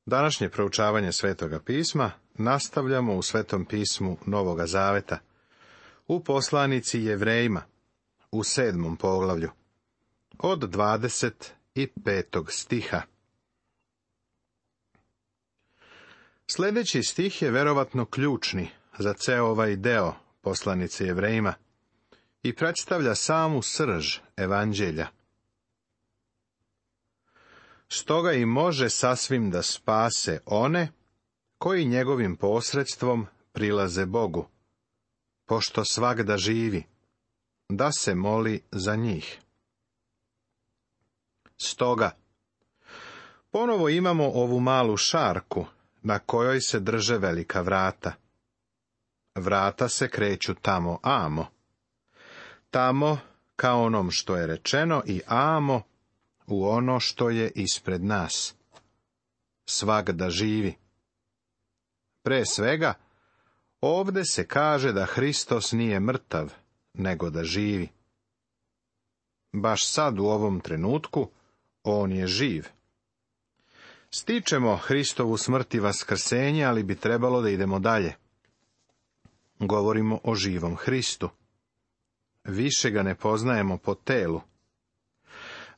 Današnje proučavanje Svetoga pisma nastavljamo u Svetom pismu Novoga Zaveta, u poslanici Jevrejima, u 7. poglavlju, od 25. stiha. Sljedeći stih je verovatno ključni za ceo ovaj deo poslanice Jevrejima i predstavlja samu srž evanđelja. Stoga i može sasvim da spase one koji njegovim posredstvom prilaze Bogu, pošto svagda živi, da se moli za njih. Stoga, ponovo imamo ovu malu šarku na kojoj se drže velika vrata. Vrata se kreću tamo amo. Tamo ka onom što je rečeno i amo u ono što je ispred nas. Svagda živi. Pre svega, ovde se kaže da Hristos nije mrtav, nego da živi. Baš sad u ovom trenutku, on je živ. Stičemo Hristovu smrt i vaskrsenje, ali bi trebalo da idemo dalje. Govorimo o živom Hristu. Više ga ne poznajemo po telu.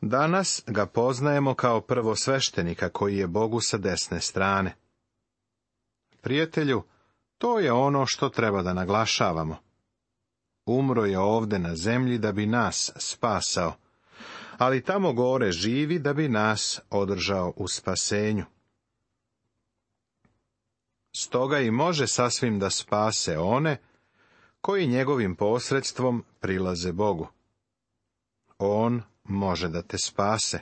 Danas ga poznajemo kao prvosveštenika koji je Bogu sa desne strane. Prijatelju, to je ono što treba da naglašavamo. Umro je ovde na zemlji da bi nas spasao, ali tamo gore živi da bi nas održao u spasenju. Stoga i može sasvim da spase one koji njegovim posredstvom prilaze Bogu. On može da te spase.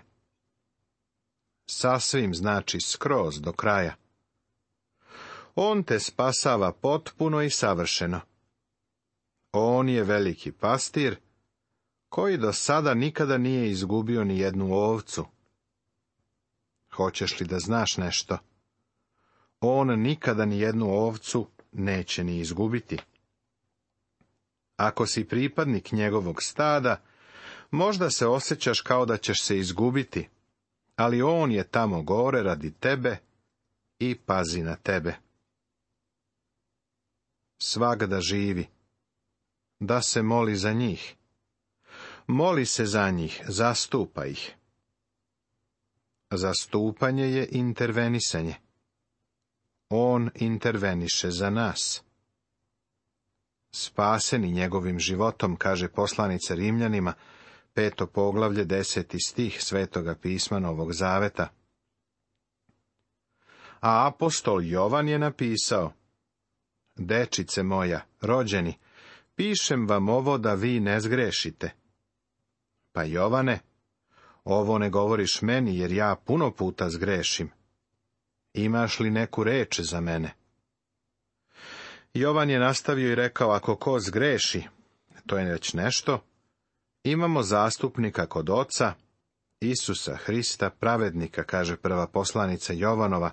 Sasvim znači skroz do kraja. On te spasava potpuno i savršeno. On je veliki pastir, koji do sada nikada nije izgubio ni jednu ovcu. Hoćeš li da znaš nešto? On nikada ni jednu ovcu neće ni izgubiti. Ako si pripadnik njegovog stada, možda se osjećaš kao da ćeš se izgubiti, ali on je tamo gore radi tebe i pazi na tebe. Svagda živi. Da se moli za njih. Moli se za njih, zastupa ih. Zastupanje je intervenisanje. On interveniše za nas. Spaseni njegovim životom, kaže poslanica Rimljanima, 5. poglavlje, 10. stih Svetoga pisma Novog Zaveta. A apostol Jovan je napisao: Dečice moja, rođeni, pišem vam ovo da vi ne zgrešite. Pa Jovane, ovo ne govoriš meni, jer ja puno puta zgrešim. Imaš li neku reč za mene? Jovan je nastavio i rekao, ako ko zgreši, to je već nešto, imamo zastupnika kod Oca, Isusa Hrista, pravednika, kaže prva poslanica Jovanova,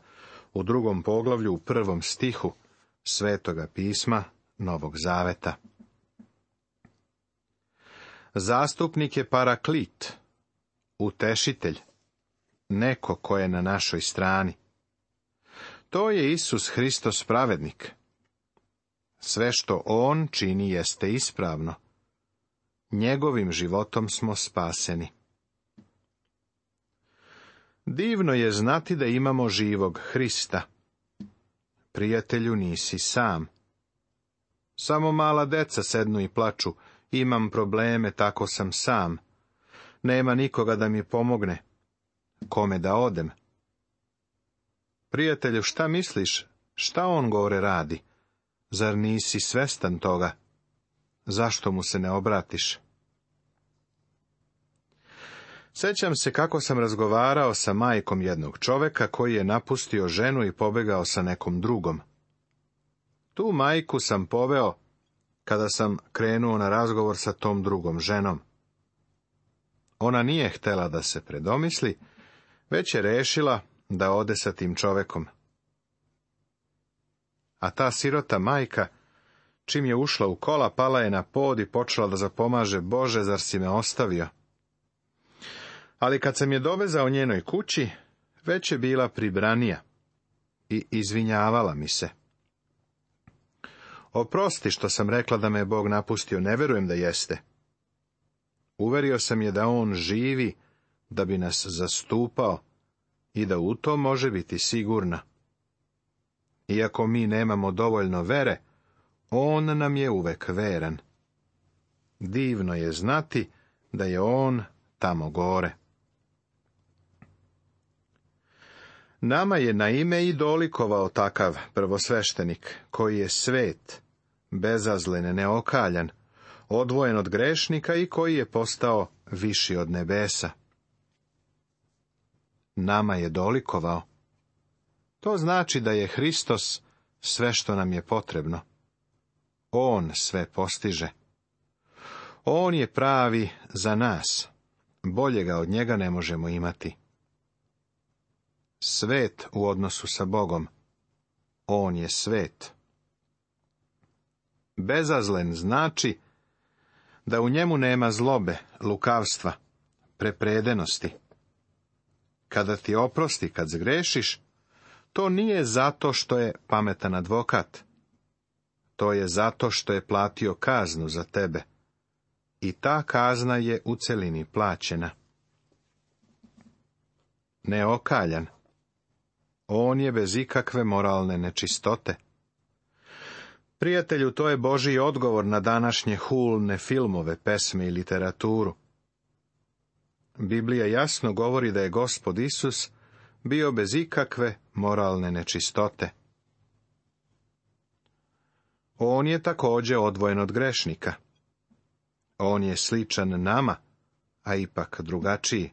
u 2. poglavlju, u 1. stihu Svetoga pisma Novog Zaveta. Zastupnik je paraklit, utešitelj, neko ko je na našoj strani. To je Isus Hristos pravednik. Sve što on čini jeste ispravno. Njegovim životom smo spaseni. Divno je znati da imamo živog Hrista. Prijatelju, nisi sam. Samo mala deca sednu i plaču, imam probleme, tako sam sam. Nema nikoga da mi pomogne. Kome da odem? Prijatelju, šta misliš? Šta on gore radi? Zar nisi svestan toga? Zašto mu se ne obratiš? Sećam se kako sam razgovarao sa majkom jednog čoveka koji je napustio ženu i pobegao sa nekom drugom. Tu majku sam poveo kada sam krenuo na razgovor sa tom drugom ženom. Ona nije htela da se predomisli, već je rešila da ode sa tim čovekom. A ta sirota majka, čim je ušla u kola, pala je na pod i počela da zapomaže: Bože, zar si me ostavio? Ali kad sam je dovezao njenoj kući, već je bila pribranija i izvinjavala mi se. Oprosti što sam rekla da me je Bog napustio, ne vjerujem da jeste. Uverio sam je da on živi, da bi nas zastupao i da u to može biti sigurna. Iako mi nemamo dovoljno vere, on nam je uvek veran. Divno je znati da je on tamo gore. Nama je na ime i dolikovao takav prvosveštenik, koji je svet, bezazlen, neokaljan, odvojen od grešnika i koji je postao viši od nebesa. Nama je dolikovao. To znači da je Hristos sve što nam je potrebno. On sve postiže. On je pravi za nas. Boljega od njega ne možemo imati. Svet u odnosu sa Bogom. On je svet. Bezazlen znači da u njemu nema zlobe, lukavstva, prepredenosti. Kada ti oprosti, kad zgrešiš, to nije zato što je pametan advokat. To je zato što je platio kaznu za tebe. I ta kazna je u celini plaćena. Neokaljan. On je bez ikakve moralne nečistote. Prijatelju, to je Božji odgovor na današnje hulne filmove, pesme i literaturu. Biblija jasno govori da je Gospod Isus bio bez ikakve moralne nečistote. On je također odvojen od grešnika. On je sličan nama, a ipak drugačiji.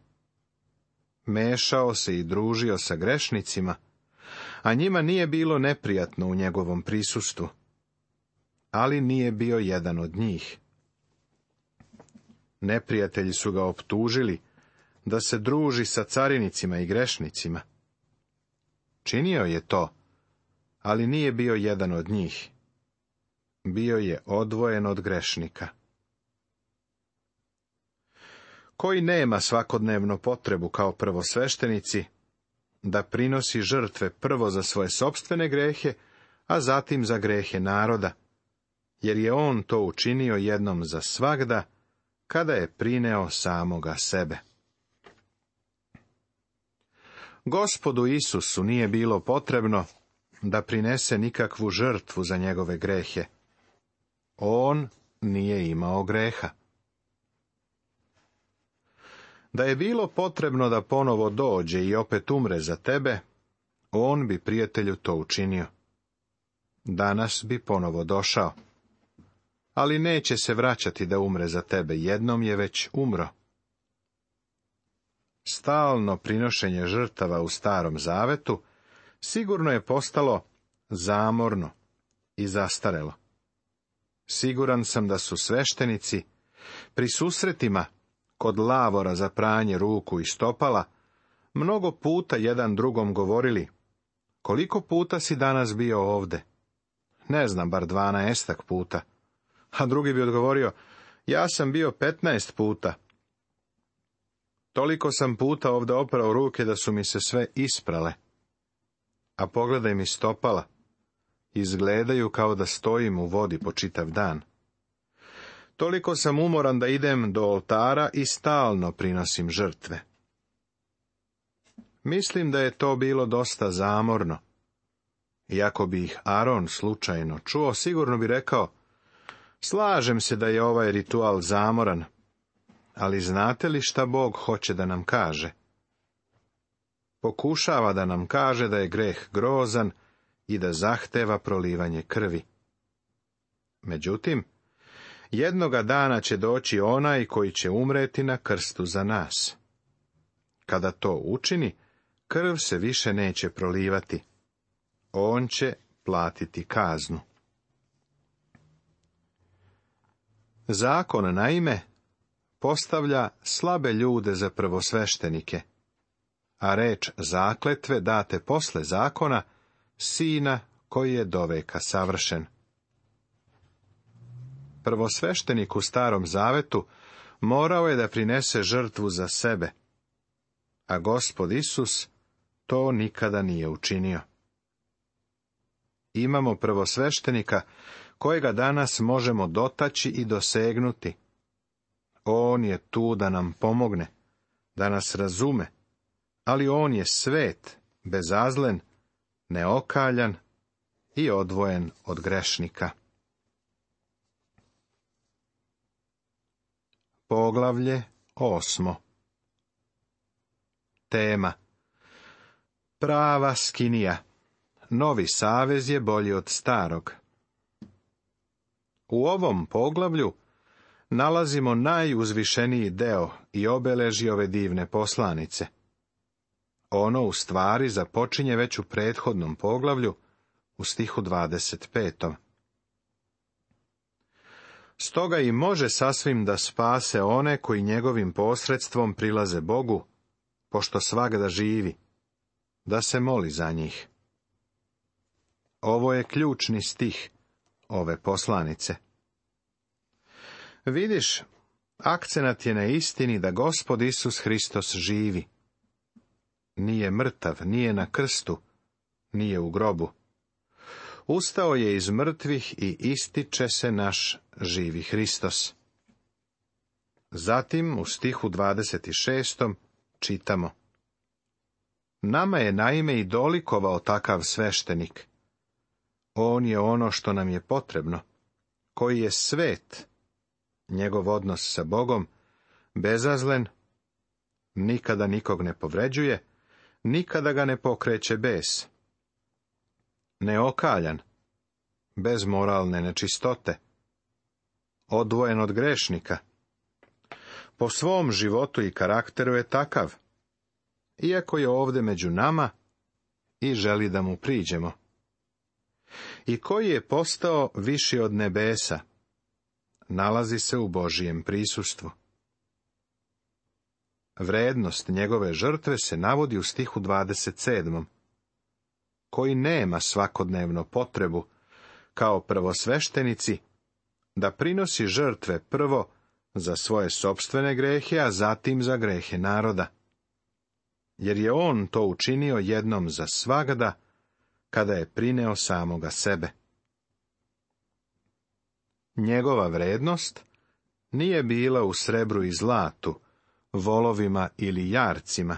Mešao se i družio sa grešnicima, a njima nije bilo neprijatno u njegovom prisustvu. Ali nije bio jedan od njih. Neprijatelji su ga optužili da se druži sa carinicima i grešnicima. Činio je to, ali nije bio jedan od njih. Bio je odvojen od grešnika. Koji nema svakodnevno potrebu kao prvosveštenici da prinosi žrtve prvo za svoje sopstvene grehe, a zatim za grehe naroda, jer je on to učinio jednom za svagda, kada je prineo samoga sebe. Gospodu Isusu nije bilo potrebno da prinese nikakvu žrtvu za njegove grehe. On nije imao greha. Da je bilo potrebno da ponovo dođe i opet umre za tebe, on bi, prijatelju, to učinio. Danas bi ponovo došao. Ali neće se vraćati da umre za tebe, jednom je već umro. Stalno prinošenje žrtava u Starom Zavetu sigurno je postalo zamorno i zastarelo. Siguran sam da su sveštenici pri susretima kod lavora za pranje ruku i stopala mnogo puta jedan drugom govorili: koliko puta si danas bio ovde? Ne znam, bar 12 puta. A drugi bi odgovorio: ja sam bio 15 puta. Toliko sam puta ovde oprao ruke da su mi se sve isprale. A pogledaj mi stopala. Izgledaju kao da stojim u vodi po čitav dan. Toliko sam umoran da idem do oltara i stalno prinosim žrtve. Mislim da je to bilo dosta zamorno. Iako bi ih Aron slučajno čuo, sigurno bi rekao: slažem se da je ovaj ritual zamoran, ali znate li šta Bog hoće da nam kaže? Pokušava da nam kaže da je greh grozan i da zahteva prolivanje krvi. Međutim, jednoga dana će doći onaj koji će umreti na krstu za nas. Kada to učini, krv se više neće prolivati. On će platiti kaznu. Zakon, naime, postavlja slabe ljude za prvosveštenike, a reč zakletve date posle zakona Sina koji je doveka savršen. Prvosveštenik u Starom Zavetu morao je da prinese žrtvu za sebe, a Gospod Isus to nikada nije učinio. imamo prvosveštenika kojega danas možemo dotaći i dosegnuti. On je tu da nam pomogne, da nas razume, ali on je svet, bezazlen, neokaljan i odvojen od grešnika. Poglavlje 8. Tema: prava skinija. Novi savez je bolji od starog. U ovom poglavlju nalazimo najuzvišeniji deo i obeležje ove divne poslanice. Ono u stvari započinje već u prethodnom poglavlju, u stihu 25. Stoga i može sasvim da spase one koji njegovim posredstvom prilaze Bogu, pošto svagda živi, da se moli za njih. Ovo je ključni stih ove poslanice. Vidiš, akcenat je na istini da Gospod Isus Hristos živi. Nije mrtav, nije na krstu, nije u grobu. Ustao je iz mrtvih i ističe se naš živi Hristos. Zatim u stihu 26. čitamo: nama je naime i dolikovao takav sveštenik. On je ono što nam je potrebno, koji je svet, njegov odnos sa Bogom, bezazlen, nikada nikog ne povređuje, nikada ga ne pokreće bes. Neokaljan, bez moralne nečistote, odvojen od grešnika. Po svom životu i karakteru je takav, iako je ovdje među nama i želi da mu priđemo. I koji je postao viši od nebesa, nalazi se u Božijem prisustvu. Vrednost njegove žrtve se navodi u stihu 27. koji nema svakodnevno potrebu, kao prvosveštenici, da prinosi žrtve prvo za svoje sopstvene grehe, a zatim za grehe naroda. Jer je on to učinio jednom za svagda, kada je prineo samoga sebe. Njegova vrednost nije bila u srebru i zlatu, volovima ili jarcima.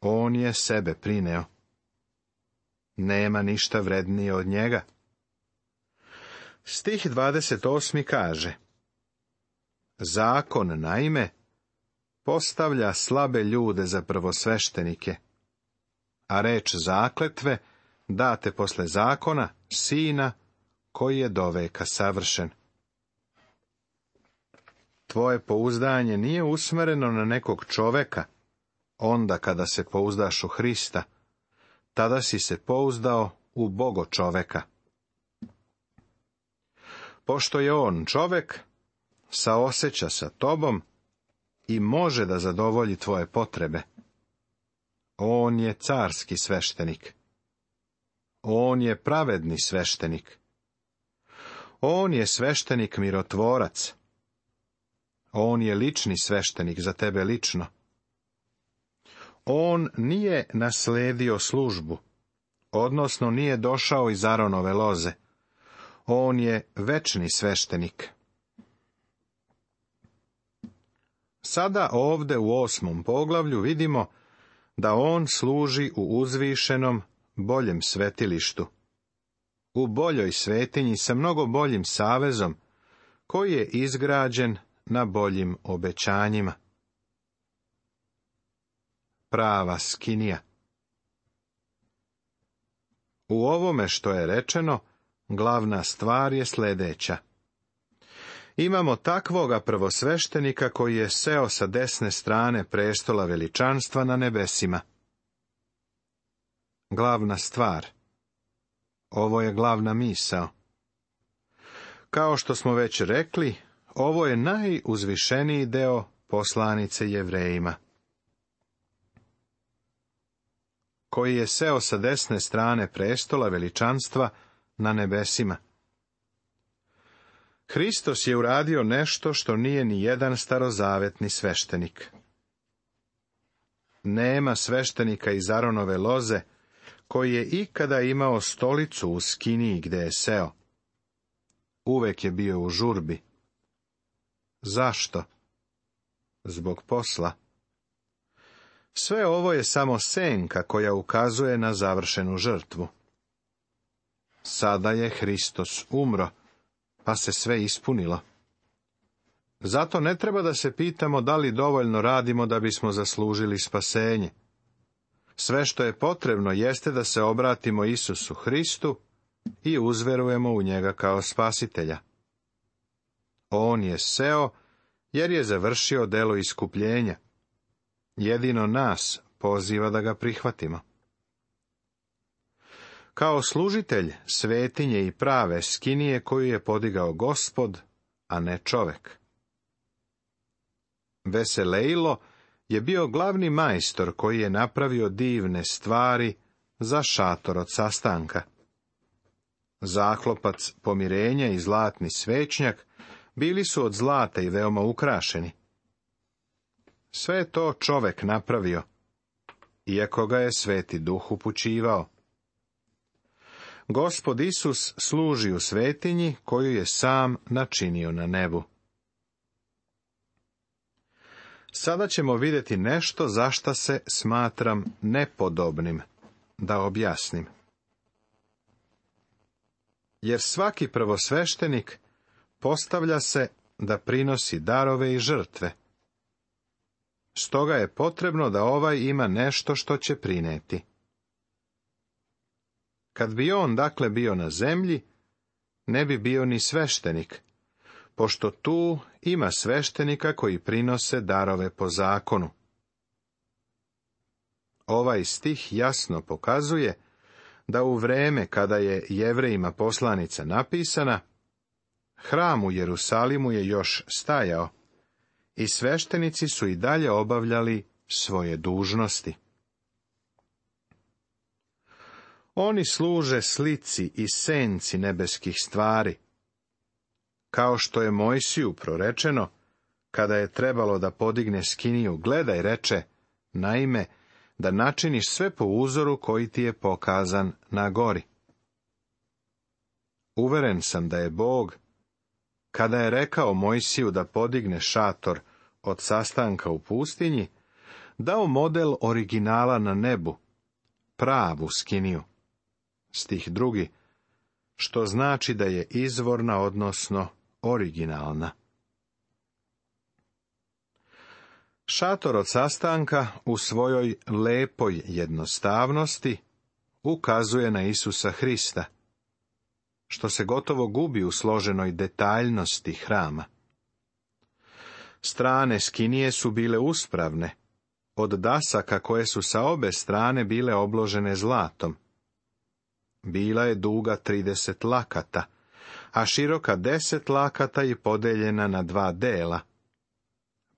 On je sebe prineo. Nema ništa vrednije od njega. Stih 28. kaže: zakon, naime, postavlja slabe ljude za prvosveštenike, a reč zakletve date posle zakona, sina, koji je doveka savršen. Tvoje pouzdanje nije usmereno na nekog čoveka, onda kada se pouzdaš u Hrista, tada si se pouzdao u Bogo čoveka. Pošto je on čovek, saoseća sa tobom i može da zadovolji tvoje potrebe. On je carski sveštenik. On je pravedni sveštenik. On je sveštenik mirotvorac. On je lični sveštenik za tebe lično. On nije nasledio službu, odnosno nije došao iz Aronove loze. On je večni sveštenik. Sada ovde u 8. poglavlju vidimo da on služi u uzvišenom, boljem svetilištu, u boljoj svetinji sa mnogo boljim savezom, koji je izgrađen na boljim obećanjima. Prava skinija. U ovome što je rečeno, glavna stvar je sljedeća. Imamo takvoga prvosveštenika koji je seo sa desne strane prestola veličanstva na nebesima. Glavna stvar. Ovo je glavna misao. Kao što smo već rekli, ovo je najuzvišeniji deo poslanice Jevrejima. Koji je seo sa desne strane prestola veličanstva na nebesima. Hristos je uradio nešto što nije ni jedan starozavetni sveštenik. Nema sveštenika iz Aronove loze koji je ikada imao stolicu u skiniji gde je seo. Uvek je bio u žurbi. Zašto? Zbog posla. Sve ovo je samo senka koja ukazuje na završenu žrtvu. Sada je Hristos umro, pa se sve ispunilo. Zato ne treba da se pitamo da li dovoljno radimo da bismo zaslužili spasenje. Sve što je potrebno jeste da se obratimo Isusu Hristu i uzverujemo u njega kao spasitelja. On je seo jer je završio delo iskupljenja. Jedino nas poziva da ga prihvatimo. Kao služitelj svetinje i prave skinije koju je podigao Gospod, a ne čovek. Veselejlo je bio glavni majstor koji je napravio divne stvari za šator od sastanka. Zaklopac pomirenja i zlatni svećnjak bili su od zlata i veoma ukrašeni. Sve je to čovek napravio, iako ga je Sveti Duh upućivao. Gospod Isus služi u svetinji koju je sam načinio na nebu. Sada ćemo vidjeti nešto za šta se smatram nepodobnim da objasnim. Jer svaki prvosveštenik postavlja se da prinosi darove i žrtve. Stoga je potrebno da ovaj ima nešto što će prineti. Kad bi on dakle bio na zemlji, ne bi bio ni sveštenik, pošto tu ima sveštenika koji prinose darove po zakonu. Ovaj stih jasno pokazuje da u vreme kada je Jevrejima poslanica napisana, hram u Jerusalimu je još stajao i sveštenici su i dalje obavljali svoje dužnosti. Oni služe slici i senci nebeskih stvari. Kao što je Mojsiju prorečeno, kada je trebalo da podigne skiniju, gledaj, reče, naime, da načiniš sve po uzoru koji ti je pokazan na gori. Uveren sam da je Bog, kada je rekao Mojsiju da podigne šator od sastanka u pustinji, dao model originala na nebu, pravu skiniju. Stih 2, što znači da je izvorna, odnosno originalna. Šator od sastanka u svojoj lepoj jednostavnosti ukazuje na Isusa Hrista, što se gotovo gubi u složenoj detaljnosti hrama. Strane skinije su bile uspravne, od dasaka koje su sa obe strane bile obložene zlatom. Bila je duga 30 lakata, a široka 10 lakata i podeljena na 2 dela.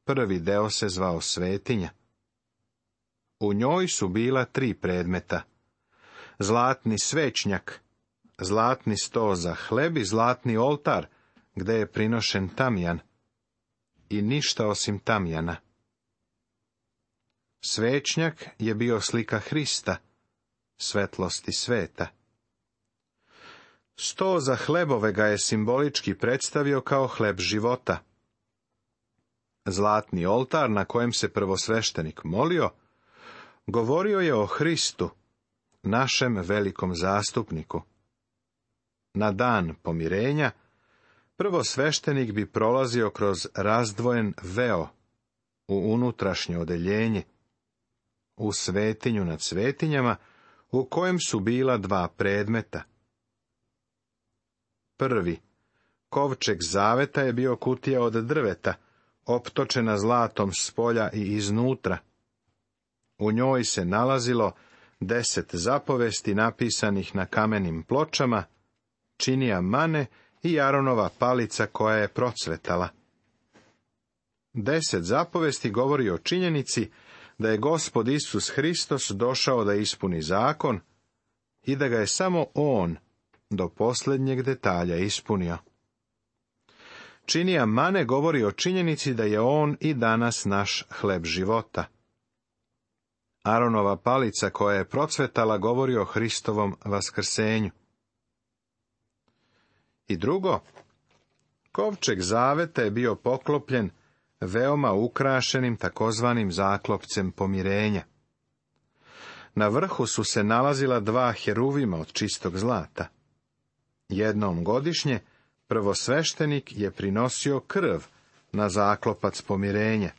Prvi deo se zvao svetinja. U njoj su bila 3 predmeta. Zlatni svećnjak, zlatni sto za hleb i zlatni oltar, gde je prinošen tamjan. I ništa osim tamjana. Svećnjak je bio slika Hrista, svetlosti sveta. Sto za hlebove ga je simbolički predstavio kao hleb života. Zlatni oltar na kojem se prvosveštenik molio, govorio je o Hristu, našem velikom zastupniku. Na dan pomirenja, prvosveštenik bi prolazio kroz razdvojen veo u unutrašnje odeljenje, u svetinju nad svetinjama, u kojem su bila 2 predmeta. Prvi, kovčeg zaveta, je bio kutija od drveta, optočena zlatom spolja i iznutra. U njoj se nalazilo 10 zapovesti napisanih na kamenim pločama, činija mane i Aronova palica koja je procvetala. 10 zapovesti govori o činjenici da je Gospod Isus Hristos došao da ispuni zakon i da ga je samo on do posljednjeg detalja ispunio. Činija mane govori o činjenici da je on i danas naš hleb života. Aronova palica koja je procvetala govori o Hristovom vaskrsenju. I drugo, kovčeg zaveta je bio poklopljen veoma ukrašenim takozvanim zaklopcem pomirenja. Na vrhu su se nalazila 2 heruvima od čistog zlata. Jednom godišnje prvosveštenik je prinosio krv na zaklopac pomirenja.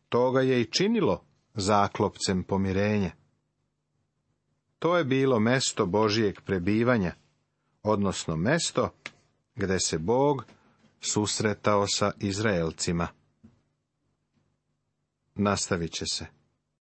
To ga je i činilo zaklopcem pomirenja. To je bilo mesto Božijeg prebivanja, odnosno mesto gde se Bog susretao sa Izraelcima. Nastavit će se.